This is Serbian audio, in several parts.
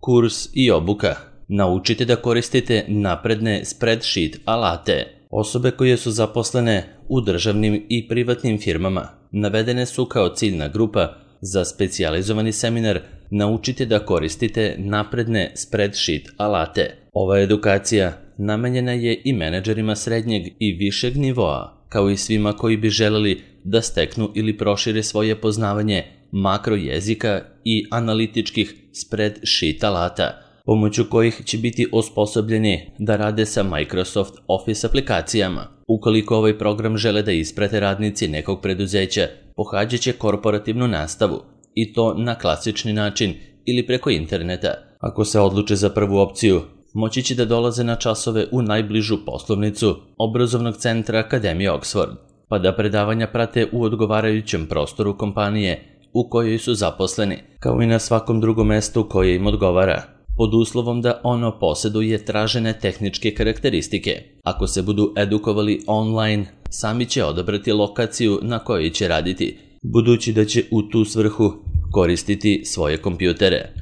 Kurs i obuka. Naučite da koristite napredne spreadsheet alate. Osobe koje su zaposlene u državnim i privatnim firmama navedene su kao ciljna grupa za specijalizovani seminar Naučite da koristite napredne spreadsheet alate. Ova edukacija namenjena je i menadžerima srednjeg i višeg nivoa, kao i svima koji bi želeli da steknu ili prošire svoje poznavanje makro jezika i analitičkih spreadsheet alata, pomoću kojih će biti osposobljeni da rade sa Microsoft Office aplikacijama. Ukoliko ovaj program žele da isprate radnici nekog preduzeća, pohađat će korporativnu nastavu, i to na klasični način ili preko interneta. Ako se odluče za prvu opciju, moći će da dolaze na časove u najbližu poslovnicu obrazovnog centra Akademije Oxford, pa da predavanja prate u odgovarajućem prostoru kompanije u kojoj su zaposleni, kao i na svakom drugom mestu koje im odgovara, pod uslovom da ono posjeduje tražene tehničke karakteristike. Ako se budu edukovali online, sami će odabrati lokaciju na kojoj će raditi, budući da će u tu svrhu koristiti svoje kompjutere.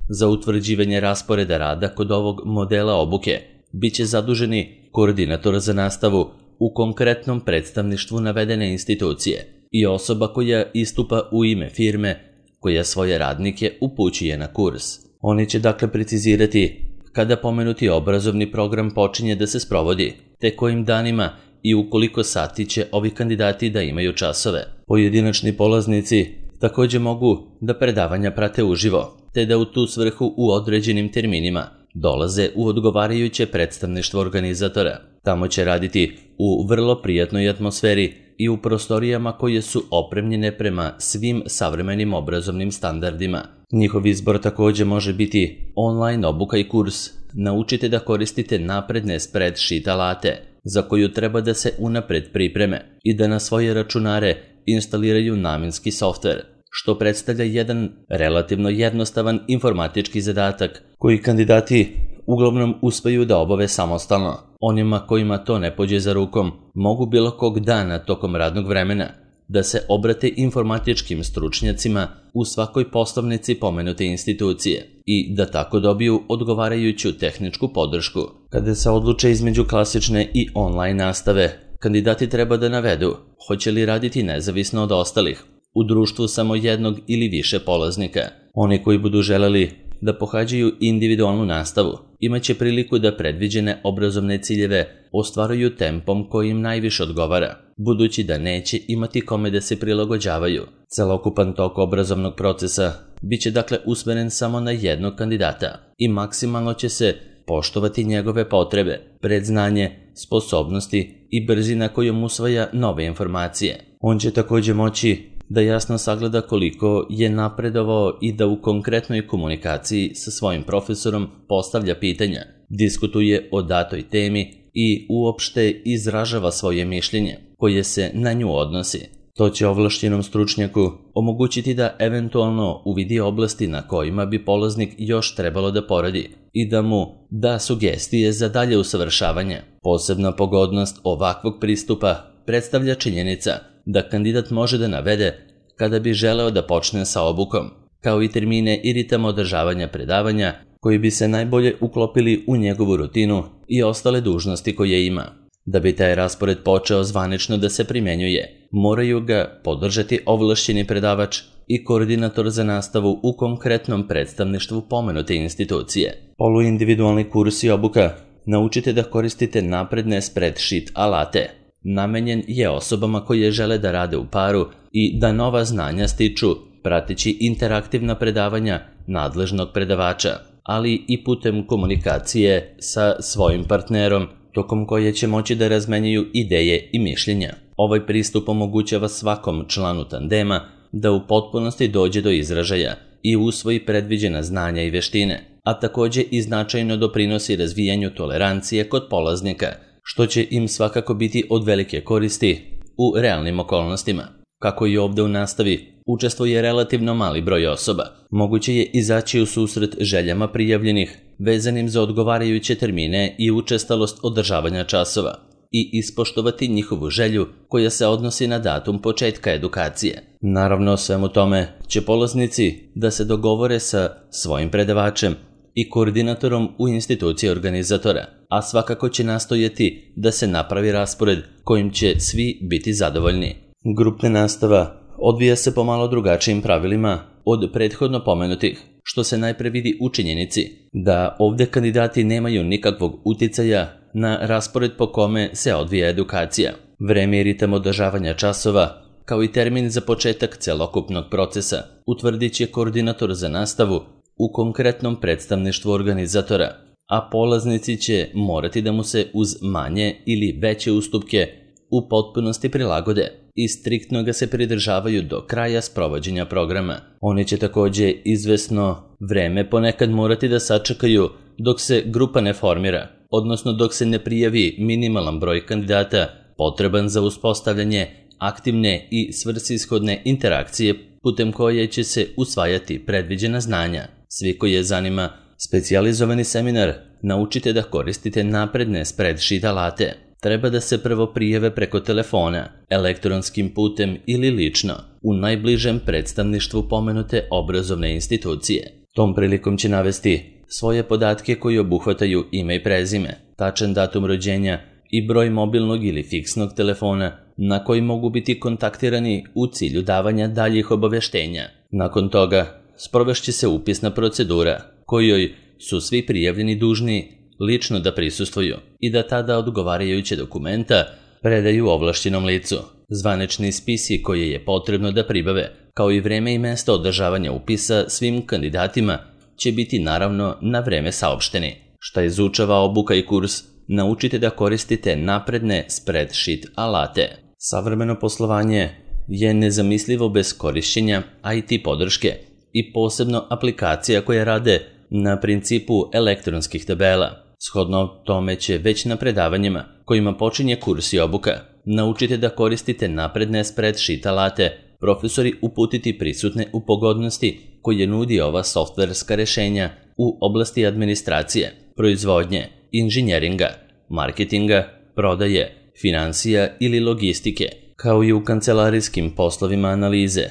Za utvrđivanje rasporeda rada kod ovog modela obuke biće zaduženi koordinator za nastavu u konkretnom predstavništvu navedene institucije i osoba koja istupa u ime firme koja svoje radnike upućuje na kurs. Oni će dakle precizirati kada pomenuti obrazovni program počinje da se sprovodi, te kojim danima i u koliko sati će ovi kandidati da imaju časove. Pojedinačni polaznici također mogu da predavanja prate uživo, te da u tu svrhu u određenim terminima dolaze u odgovarajuće predstavništvo organizatora. Tamo će raditi u vrlo prijatnoj atmosferi i u prostorijama koje su opremljene prema svim savremenim obrazovnim standardima. Njihov izbor također može biti online obuka i kurs. Naučite da koristite napredne spreadsheet alate, za koju treba da se unapred pripreme i da na svoje računare instaliraju namenski softver, što predstavlja jedan relativno jednostavan informatički zadatak koji kandidati uglavnom uspeju da obave samostalno. Onima kojima to ne pođe za rukom mogu bilo kog dana tokom radnog vremena da se obrate informatičkim stručnjacima u svakoj poslovnici pomenute institucije i da tako dobiju odgovarajuću tehničku podršku. Kada se odluče između klasične i online nastave, kandidati treba da navedu hoće li raditi nezavisno od ostalih, u društvu samo jednog ili više polaznika. Oni koji budu želeli da pohađaju individualnu nastavu imaće priliku da predviđene obrazovne ciljeve ostvaruju tempom koji im najviše odgovara, budući da neće imati kome da se prilagođavaju. Celokupan tok obrazovnog procesa biće dakle usmeren samo na jednog kandidata i maksimalno će se poštovati njegove potrebe, predznanje, sposobnosti i brzina kojom usvaja nove informacije. On će također moći da jasno sagleda koliko je napredovao i da u konkretnoj komunikaciji sa svojim profesorom postavlja pitanja, diskutuje o datoj temi i uopšte izražava svoje mišljenje koje se na nju odnosi. To će ovlašćenom stručnjaku omogućiti da eventualno uvidi oblasti na kojima bi polaznik još trebalo da poradi i da mu da sugestije za dalje usavršavanje. Posebna pogodnost ovakvog pristupa predstavlja činjenica da kandidat može da navede kada bi želeo da počne sa obukom, kao i termine i ritam održavanja predavanja koji bi se najbolje uklopili u njegovu rutinu i ostale dužnosti koje ima. Da bi taj raspored počeo zvanično da se primjenjuje, moraju ga podržati ovlašćeni predavač i koordinator za nastavu u konkretnom predstavništvu pomenute institucije. Poluindividualni kurs i obuka. Naučite da koristite napredne spreadsheet alate. Namenjen je osobama koje žele da rade u paru i da nova znanja stiču prateći interaktivna predavanja nadležnog predavača, ali i putem komunikacije sa svojim partnerom, tokom koje će moći da razmenjuju ideje i mišljenja. Ovaj pristup omogućava svakom članu tandema da u potpunosti dođe do izražaja i usvoji predviđena znanja i veštine, a također i značajno doprinosi razvijanju tolerancije kod polaznika, što će im svakako biti od velike koristi u realnim okolnostima. Kako i ovdje u nastavi učestvuje relativno mali broj osoba, moguće je izaći u susret željama prijavljenih vezanim za odgovarajuće termine i učestalost održavanja časova i ispoštovati njihovu želju koja se odnosi na datum početka edukacije. Naravno, svemu tome će polaznici da se dogovore sa svojim predavačem i koordinatorom u instituciji organizatora, a svakako će nastojati da se napravi raspored kojim će svi biti zadovoljni. Grupna nastava odvija se po malo drugačijim pravilima od prethodno pomenutih, što se najpre vidi u činjenici da ovdje kandidati nemaju nikakvog uticaja na raspored po kome se odvija edukacija. Vreme i ritam održavanja časova, kao i termin za početak celokupnog procesa, utvrdit će koordinator za nastavu u konkretnom predstavništvu organizatora, a polaznici će morati da mu se uz manje ili veće ustupke u potpunosti prilagode i striktno ga se pridržavaju do kraja sprovođenja programa. Oni će također izvesno vreme ponekad morati da sačekaju dok se grupa ne formira, odnosno dok se ne prijavi minimalan broj kandidata potreban za uspostavljanje aktivne i svrsishodne interakcije putem koje će se usvajati predviđena znanja. Svi koji je zanima specijalizovani seminar Naučite da koristite napredne spreadsheet alate treba da se prvo prijave preko telefona, elektronskim putem ili lično u najbližem predstavništvu pomenute obrazovne institucije. Tom prilikom će navesti svoje podatke koji obuhvataju ime i prezime, tačan datum rođenja i broj mobilnog ili fiksnog telefona na koji mogu biti kontaktirani u cilju davanja daljih obaveštenja. Nakon toga sprovešće se upisna procedura kojoj su svi prijavljeni dužni lično da prisustvuju i da tada odgovarajuće dokumenta predaju ovlašćenom licu. Zvanični spisi koje je potrebno da pribave, kao i vreme i mesto održavanja upisa svim kandidatima će biti naravno na vreme saopšteni. Šta izučava obuka i kurs, naučite da koristite napredne spreadsheet alate. Savremeno poslovanje je nezamislivo bez korišćenja IT podrške i posebno aplikacija koje rade na principu elektronskih tabela. Shodno tome će već na predavanjima kojima počinje kurs i obuka naučite da koristite napredne spreadsheet alate, profesori uputiti prisutne u pogodnosti koje nudi ova softverska rešenja u oblasti administracije, proizvodnje, inženjeringa, marketinga, prodaje, finansija ili logistike, kao i u kancelarijskim poslovima analize,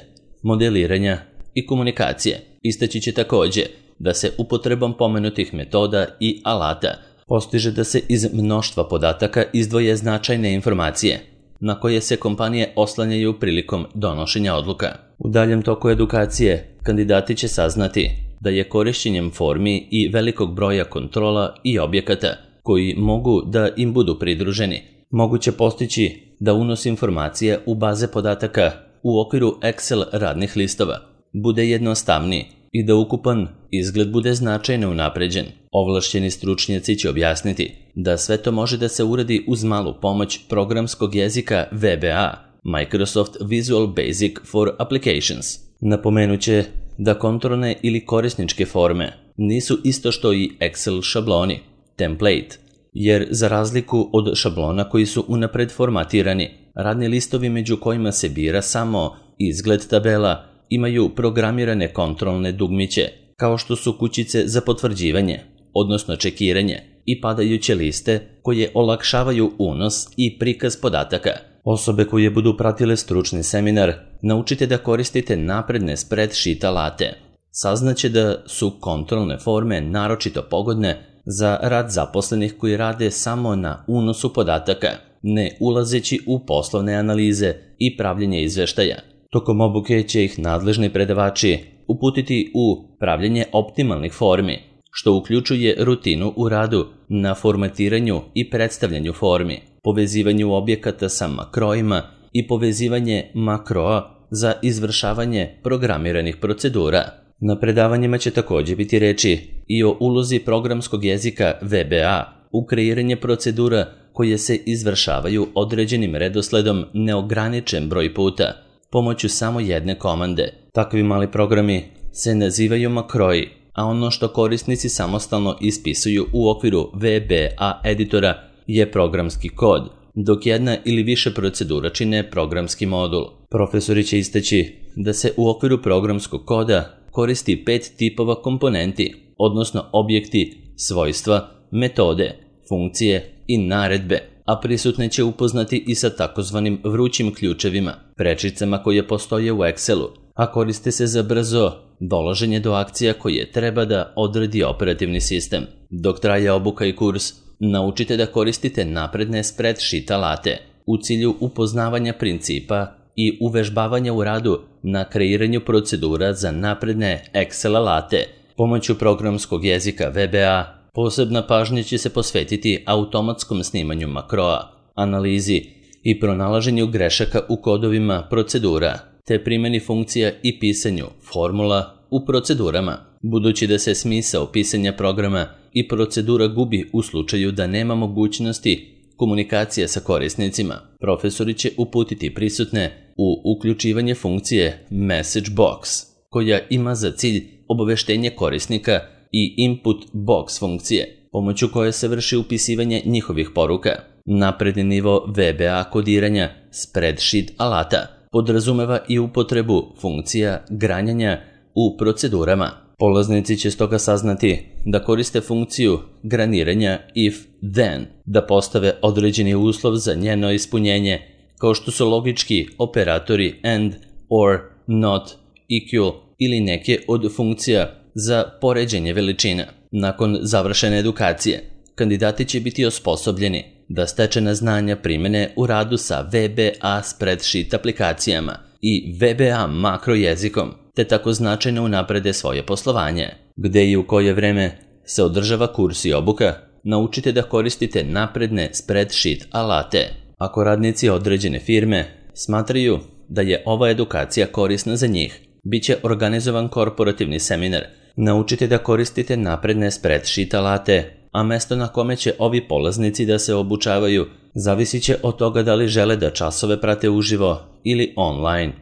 modeliranja i komunikacije. Istaći će također da se upotrebom pomenutih metoda i alata postiže da se iz mnoštva podataka izdvoje značajne informacije na koje se kompanije oslanjaju prilikom donošenja odluka. U daljem toku edukacije kandidati će saznati da je korišćenjem formi i velikog broja kontrola i objekata koji mogu da im budu pridruženi, moguće postići da unos informacija u baze podataka u okviru Excel radnih listova bude jednostavniji i da ukupan izgled bude značajno unapređen. Ovlašćeni stručnjaci će objasniti da sve to može da se uradi uz malu pomoć programskog jezika VBA, Microsoft Visual Basic for Applications. Napomenuće da kontrolne ili korisničke forme nisu isto što i Excel šabloni, template, jer za razliku od šablona koji su unapred formatirani, radni listovi među kojima se bira samo izgled tabela imaju programirane kontrolne dugmiće, kao što su kućice za potvrđivanje, odnosno čekiranje, i padajuće liste koje olakšavaju unos i prikaz podataka. Osobe koje budu pratile stručni seminar naučite da koristite napredne spreadsheet alate. Saznaće da su kontrolne forme naročito pogodne za rad zaposlenih koji rade samo na unosu podataka, ne ulazeći u poslovne analize i pravljenje izveštaja. Tokom obuke će ih nadležni predavači uputiti u pravljenje optimalnih formi, što uključuje rutinu u radu na formatiranju i predstavljanju formi, povezivanju objekata sa makrojima i povezivanje makroa za izvršavanje programiranih procedura. Na predavanjima će također biti reči i o ulozi programskog jezika VBA u kreiranje procedura koje se izvršavaju određenim redosledom neograničen broj puta, pomoću samo jedne komande. Takvi mali programi se nazivaju makroji, a ono što korisnici samostalno ispisuju u okviru VBA editora je programski kod, dok jedna ili više procedura čine programski modul. Profesori će istaći da se u okviru programskog koda koristi 5 tipova komponenti, odnosno objekti, svojstva, metode, funkcije i naredbe, a prisutne će upoznati i sa takozvanim vrućim ključevima, prečicama koje postoje u Excelu, a koriste se za brzo dolaženje do akcija koje treba da odredi operativni sistem. Dok traje obuka i kurs, naučite da koristite napredne spreadsheet alate u cilju upoznavanja principa i uvežbavanja u radu na kreiranju procedura za napredne Excel alate. Pomoću programskog jezika VBA posebna pažnja će se posvetiti automatskom snimanju makroa, analizi i pronalaženju grešaka u kodovima procedura, te primjeni funkcija i pisanju formula u procedurama. Budući da se smisao pisanja programa i procedura gubi u slučaju da nema mogućnosti komunikacije sa korisnicima, profesori će uputiti prisutne u uključivanje funkcije Message Box, koja ima za cilj obaveštenje korisnika, i Input Box funkcije, pomoću koje se vrši upisivanje njihovih poruka. Napredni nivo VBA kodiranja spreadsheet alata podrazumeva i upotrebu funkcija granjanja u procedurama. Polaznici će stoga saznati da koriste funkciju graniranja if-then, da postave određeni uslov za njeno ispunjenje, kao što su logički operatori and, or, not, equal ili neke od funkcija za poređenje veličina. Nakon završene edukacije, kandidati će biti osposobljeni da stečena znanja primene u radu sa VBA spreadsheet aplikacijama i VBA makro jezikom, te tako značajno unaprede svoje poslovanje. Gde i u koje vreme se održava kurs i obuka, naučite da koristite napredne spreadsheet alate. Ako radnici određene firme smatraju da je ova edukacija korisna za njih, bit će organizovan korporativni seminar. Naučite da koristite napredne spreadsheet alate, a mesto na kome će ovi polaznici da se obučavaju zavisit će od toga da li žele da časove prate uživo ili online.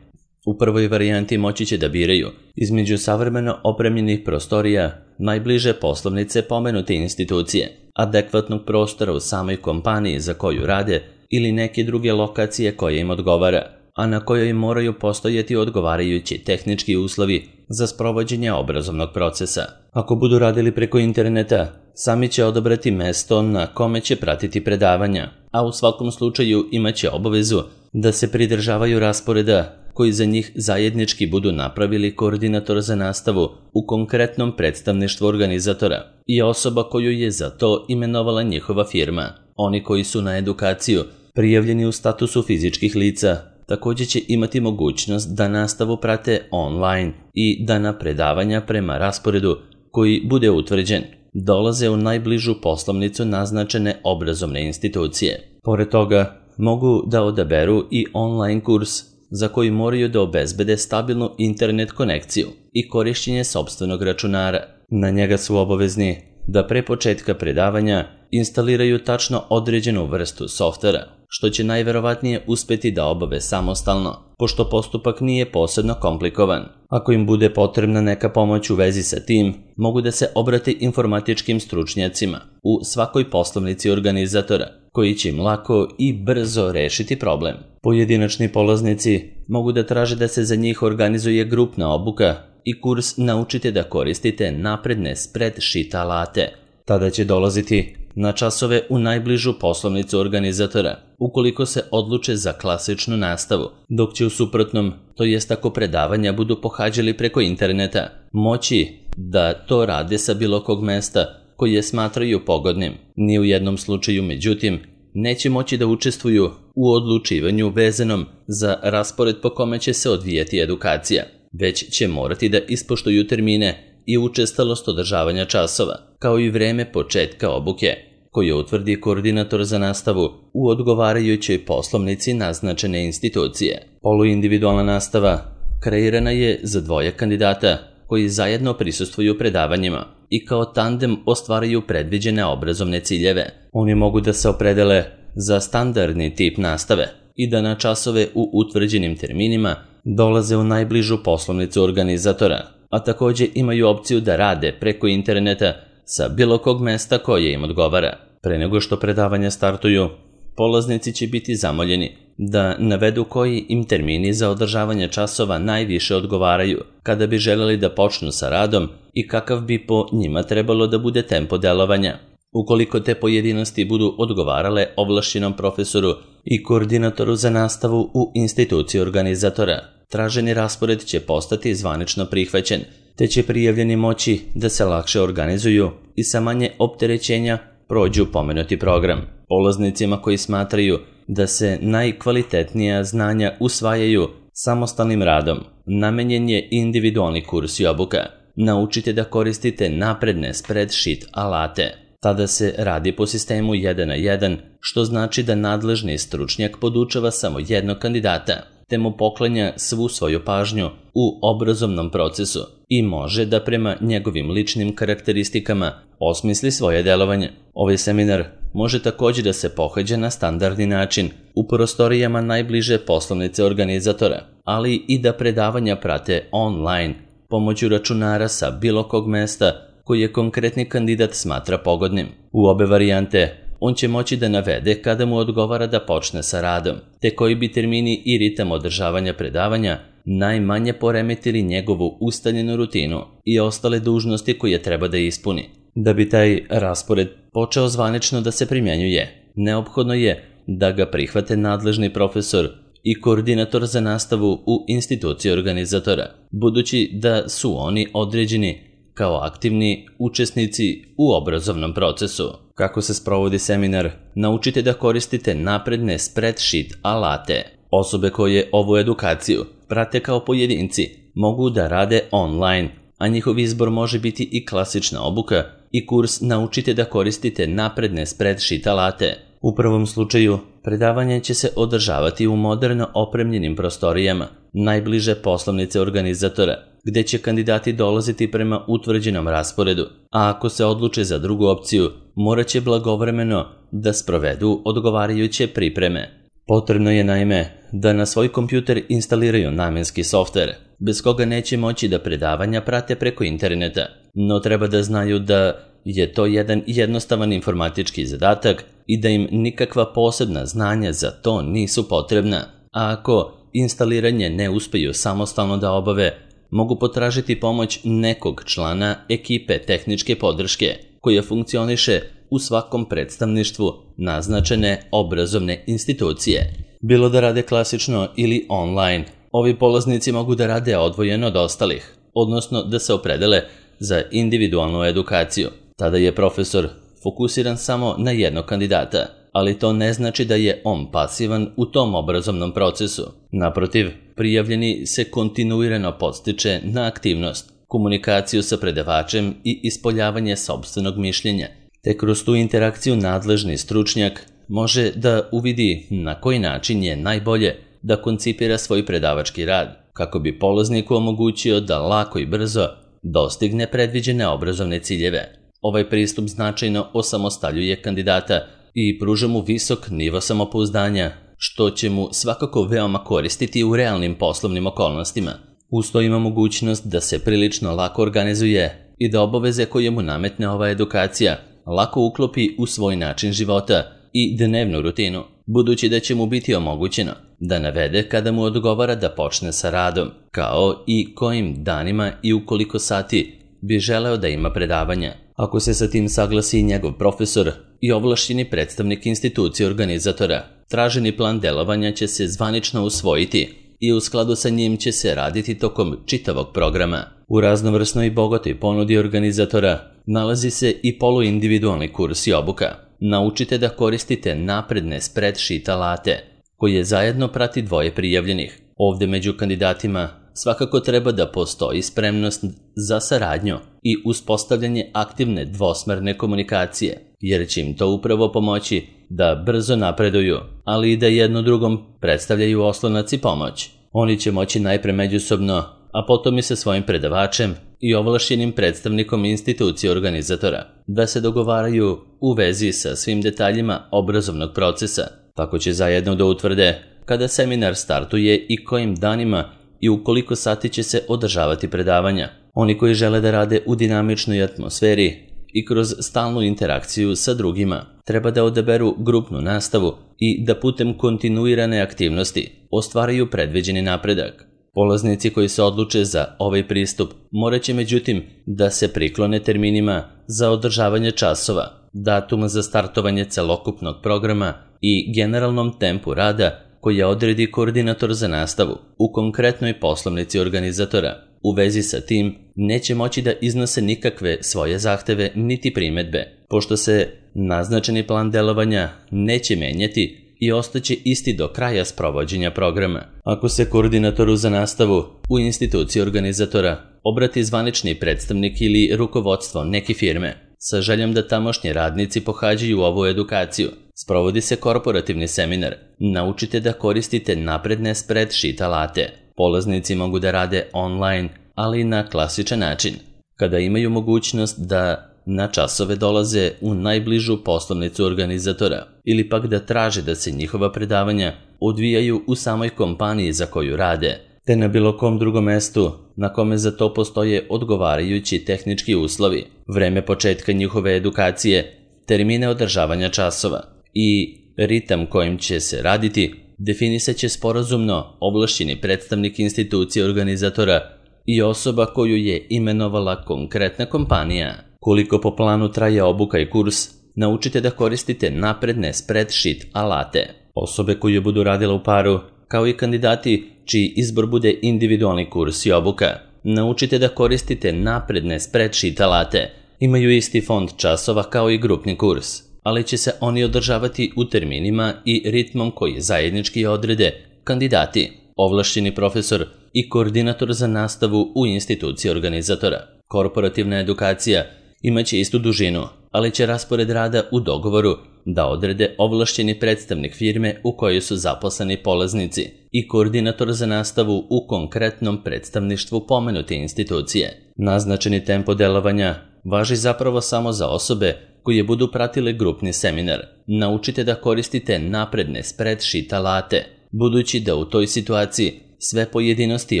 U prvoj varijanti moći će da biraju između savremeno opremljenih prostorija, najbliže poslovnice pomenute institucije, adekvatnog prostora u samoj kompaniji za koju rade ili neke druge lokacije koje im odgovara, a na kojoj moraju postojati odgovarajući tehnički uslovi za sprovođenje obrazovnog procesa. Ako budu radili preko interneta, sami će odabrati mesto na kome će pratiti predavanja, a u svakom slučaju imaće obavezu da se pridržavaju rasporeda koji za njih zajednički budu napravili koordinator za nastavu u konkretnom predstavništvu organizatora i osoba koju je za to imenovala njihova firma. Oni koji su na edukaciju prijavljeni u statusu fizičkih lica također će imati mogućnost da nastavu prate online i da na predavanja prema rasporedu koji bude utvrđen dolaze u najbližu poslovnicu naznačene obrazovne institucije. Pored toga, mogu da odaberu i online kurs za koji moraju da obezbede stabilnu internet konekciju i korišćenje sopstvenog računara. Na njega su obavezni da pre početka predavanja instaliraju tačno određenu vrstu softvera, što će najverovatnije uspeti da obave samostalno, pošto postupak nije posebno komplikovan. Ako im bude potrebna neka pomoć u vezi sa tim, mogu da se obrate informatičkim stručnjacima u svakoj poslovnici organizatora, koji će im lako i brzo rešiti problem. Pojedinačni polaznici mogu da traže da se za njih organizuje grupna obuka i kurs naučite da koristite napredne spreadsheet alate. Tada će dolaziti na časove u najbližu poslovnicu organizatora, ukoliko se odluče za klasičnu nastavu, dok će u suprotnom, to jest ako predavanja budu pohađali preko interneta, moći da to rade sa bilo kog mesta koje smatraju pogodnim. Ni u jednom slučaju, međutim, neće moći da učestvuju u odlučivanju vezanom za raspored po kome će se odvijati edukacija, već će morati da ispoštuju termine i učestalost održavanja časova, kao i vreme početka obuke, koje utvrdi koordinator za nastavu u odgovarajućoj poslovnici naznačene institucije. Poluindividualna nastava kreirana je za dvoje kandidata koji zajedno prisustvuju predavanjima i kao tandem ostvaraju predviđene obrazovne ciljeve. Oni mogu da se opredele za standardni tip nastave i da na časove u utvrđenim terminima dolaze u najbližu poslovnicu organizatora, a također imaju opciju da rade preko interneta sa bilo kog mesta koje im odgovara. Pre nego što predavanja startuju, polaznici će biti zamoljeni da navedu koji im termini za održavanje časova najviše odgovaraju kada bi želeli da počnu sa radom i kakav bi po njima trebalo da bude tempo delovanja. Ukoliko te pojedinosti budu odgovarale ovlašćenom profesoru i koordinatoru za nastavu u instituciji organizatora, traženi raspored će postati zvanično prihvaćen, te će prijavljeni moći da se lakše organizuju i sa manje opterećenja prođu pomenuti program. Polaznicima koji smatraju da se najkvalitetnija znanja usvajaju samostalnim radom, namenjen je individualni kurs i obuka. Naučite da koristite napredne spreadsheet alate. Tada se radi po sistemu 1 na 1, što znači da nadležni stručnjak podučava samo jednog kandidata, te mu poklanja svu svoju pažnju u obrazovnom procesu i može da prema njegovim ličnim karakteristikama osmisli svoje delovanje. Ovaj seminar može također da se pohađa na standardni način u prostorijama najbliže poslovnice organizatora, ali i da predavanja prate online pomoću računara sa bilo kog mesta koji je konkretni kandidat smatra pogodnim. U obe varijante on će moći da navede kada mu odgovara da počne sa radom, te koji bi termini i ritam održavanja predavanja najmanje poremetili njegovu ustaljenu rutinu i ostale dužnosti koje treba da ispuni. Da bi taj raspored počeo zvanično da se primjenjuje, neophodno je da ga prihvate nadležni profesor i koordinator za nastavu u instituciji organizatora, budući da su oni određeni kao aktivni učesnici u obrazovnom procesu. Kako se sprovodi seminar? Naučite da koristite napredne spreadsheet alate. Osobe koje ovu edukaciju prate kao pojedinci mogu da rade online, a njihov izbor može biti i klasična obuka i kurs Naučite da koristite napredne spreadsheet alate. U prvom slučaju, predavanje će se održavati u moderno opremljenim prostorijama, najbliže poslovnice organizatora, gde će kandidati dolaziti prema utvrđenom rasporedu, a ako se odluče za drugu opciju, morat će blagovremeno da sprovedu odgovarajuće pripreme. Potrebno je naime da na svoj kompjuter instaliraju namenski softver, bez koga neće moći da predavanja prate preko interneta, no treba da znaju da je to jedan jednostavan informatički zadatak i da im nikakva posebna znanja za to nisu potrebna, a ako instaliranje ne uspeju samostalno da obave, mogu potražiti pomoć nekog člana ekipe tehničke podrške koja funkcioniše u svakom predstavništvu naznačene obrazovne institucije. Bilo da rade klasično ili online, ovi polaznici mogu da rade odvojeno od ostalih, odnosno da se opredele za individualnu edukaciju. Tada je profesor fokusiran samo na jednog kandidata, ali to ne znači da je on pasivan u tom obrazovnom procesu. Naprotiv, prijavljeni se kontinuirano podstiče na aktivnost, komunikaciju sa predavačem i ispoljavanje sopstvenog mišljenja, te kroz tu interakciju nadležni stručnjak može da uvidi na koji način je najbolje da koncipira svoj predavački rad, kako bi polazniku omogućio da lako i brzo dostigne predviđene obrazovne ciljeve. Ovaj pristup značajno osamostaljuje kandidata i pruža mu visok nivo samopouzdanja, što će mu svakako veoma koristiti u realnim poslovnim okolnostima. Uz to ima mogućnost da se prilično lako organizuje i da obaveze koje mu nametne ova edukacija lako uklopi u svoj način života i dnevnu rutinu, budući da će mu biti omogućeno da navede kada mu odgovara da počne sa radom, kao i kojim danima i u koliko sati bi želeo da ima predavanja. Ako se sa tim saglasi njegov profesor i ovlašćeni predstavnik institucije organizatora, traženi plan delovanja će se zvanično usvojiti i u skladu sa njim će se raditi tokom čitavog programa. U raznovrsnoj i bogatoj ponudi organizatora nalazi se i poluindividualni kurs i obuka. Naučite da koristite napredne spreadsheet alate, koje zajedno prati dvoje prijavljenih. Ovde među kandidatima svakako treba da postoji spremnost za saradnju i uspostavljanje aktivne dvosmerne komunikacije, jer će im to upravo pomoći da brzo napreduju, ali i da jedno drugom predstavljaju oslonac i pomoć. Oni će moći najpre međusobno, a potom i sa svojim predavačem i ovlašćenim predstavnikom institucije organizatora, da se dogovaraju u vezi sa svim detaljima obrazovnog procesa. Tako će zajedno da utvrde kada seminar startuje i kojim danima i u koliko sati će se održavati predavanja. Oni koji žele da rade u dinamičnoj atmosferi i kroz stalnu interakciju sa drugima, treba da odaberu grupnu nastavu i da putem kontinuirane aktivnosti ostvaraju predviđeni napredak. Polaznici koji se odluče za ovaj pristup morat će međutim da se priklone terminima za održavanje časova, datuma za startovanje celokupnog programa i generalnom tempu rada koja odredi koordinator za nastavu u konkretnoj poslovnici organizatora. U vezi sa tim, neće moći da iznose nikakve svoje zahteve niti primedbe, pošto se naznačeni plan delovanja neće menjati i ostaće isti do kraja sprovođenja programa. Ako se koordinatoru za nastavu u instituciji organizatora obrati zvanični predstavnik ili rukovodstvo neke firme sa željom da tamošnji radnici pohađaju ovu edukaciju, sprovodi se korporativni seminar. Naučite da koristite napredne spreadsheet alate. Polaznici mogu da rade online, ali i na klasičan način. Kada imaju mogućnost da na časove dolaze u najbližu poslovnicu organizatora ili pak da traže da se njihova predavanja odvijaju u samoj kompaniji za koju rade, te na bilo kom drugom mestu na kome za to postoje odgovarajući tehnički uslovi, vreme početka njihove edukacije, termine održavanja časova i ritam kojim će se raditi, definisat će sporazumno ovlašćeni predstavnik institucije organizatora i osoba koju je imenovala konkretna kompanija. Koliko po planu traje obuka i kurs, naučite da koristite napredne spreadsheet alate. Osobe koje budu radile u paru, kao i kandidati čiji izbor bude individualni kurs i obuka, naučite da koristite napredne spreadsheet alate. Imaju isti fond časova kao i grupni kurs, ali će se oni održavati u terminima i ritmom koji zajednički odrede kandidati, ovlašćeni profesor i koordinator za nastavu u instituciji organizatora. Korporativna edukacija imaće istu dužinu, ali će raspored rada u dogovoru da odrede ovlašćeni predstavnik firme u kojoj su zaposleni polaznici i koordinator za nastavu u konkretnom predstavništvu pomenute institucije. Naznačeni tempo delovanja važi zapravo samo za osobe koje budu pratile grupni seminar. Naučite da koristite napredne spreadsheet alate, budući da u toj situaciji sve pojedinosti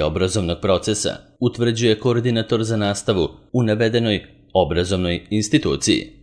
obrazovnog procesa utvrđuje koordinator za nastavu u navedenoj obrazovnoj instituciji.